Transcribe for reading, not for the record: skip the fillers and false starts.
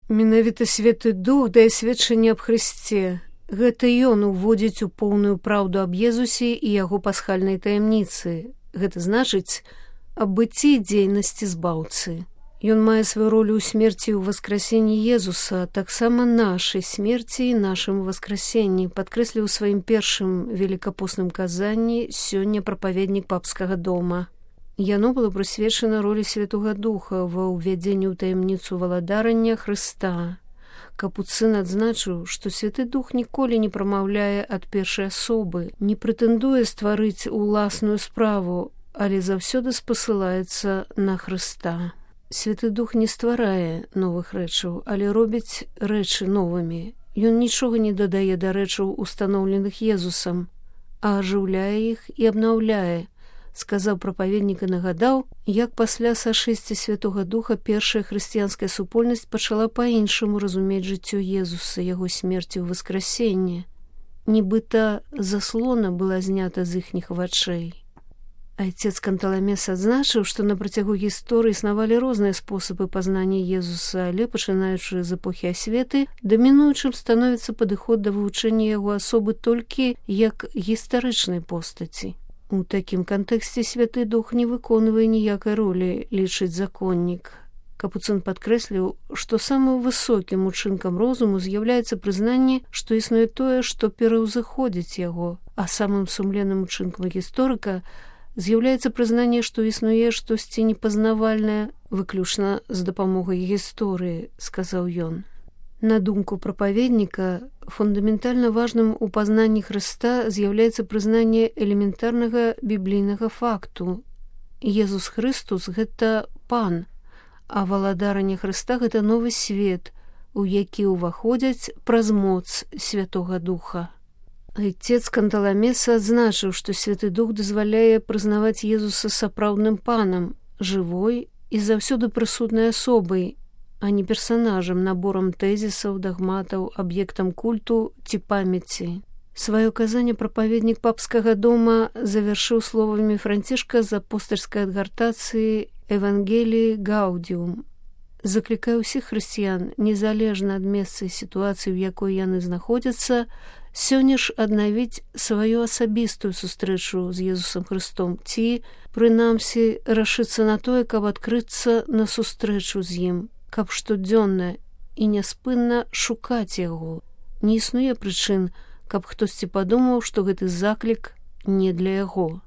Менавіта Святы Дух дае сведчанне аб Хрысце. Гэта ён уводзіць у поўную праўду аб Езусе і яго пасхальнай таямніцы. Гэта значыць аб быцці дзейнасці збаўцы. Ён мае сваю ролю ў смерці і ў васкрасенні Езуса, таксама нашай смерці і нашым васкрасенні, падкрэсліў у сваім першым велікапостным казанні сёння прапаведнік папскага дома. Яно было прысвечана ролі Святога Духа ва ўвядзенні ў таямніцу валадарання Хрыста. Капуцын адзначыў, што Святы Дух ніколі не прамаўляе ад першай асобы, не прэтэндуе стварыць уласную справу, але заўсёды спасылаецца на Хрыста. Святы Дух не стварае новых рэчаў, але робіць рэчы новымі. Ён нічога не дадае да рэчаў, устаноўленых Езусам, а ажыўляе іх і абнаўляе, сказаў прапаведнік і нагадаў, як пасля сашэсця Святога Духа першая хрысціянская супольнасць пачала па-іншаму разумець жыццё Езуса, яго смерці ў васкрасенне. Нібыта заслона была знята з іхніх вачэй. Айцец Канталамес адзначыў, што на працягу гісторыі існавалі розныя спосабы пазнання Езуса, але, пачынаючы з эпохі асветы, дамінуючым становіцца падыход да вывучэння яго асобы толькі як гістарычнай постаці. У такім кантэксце Святы Дух не выконвае ніякай ролі, лічыць законнік. Капуцын падкрэсліў, што самым высокім учынкам розуму з'яўляецца прызнанне, што існуе тое, што пераўзыходзіць яго, а самым сумленным учынкам гісторыка з'яўляецца прызнанне, што існуе штосьці непазнавальнае выключна з дапамогай гісторыі, сказаў ён. На думку прапаведніка, фундаментальна важным у пазнанні Хрыста з'яўляецца прызнанне элементарнага біблійнага факту. Езус Хрыстус – гэта пан, а валадаранне Хрыста – гэта новы свет, у які ўваходзяць праз моц Святога Духа. Айцец Канталамеса адзначыў, што Святы Дух дазваляе прызнаваць Езуса сапраўдным панам, жывой і заўсёды прысутнай асобай, а не персанажам, наборам тэзісаў, дагматаў, аб'ектам культу ці памяці. Сваё казанне прапаведнік папскага дома завяршыў словамі Францішка з апостальскай адгартацыі «Евангеліі Гаудіум». Заклікаю ўсіх хрысціян, незалежна ад месца і сітуацыі, у якой яны знаходзяцца, сёння ж аднавіць сваю асабістую сустрэчу з Езусам Хрыстом ці, прынамсі, рашыцца на тое, каб адкрыцца на сустрэчу з ім, каб штодзённа і няспынна шукаць яго. Не існуе прычын, каб хтосьці падумаў, што гэты заклік не для яго.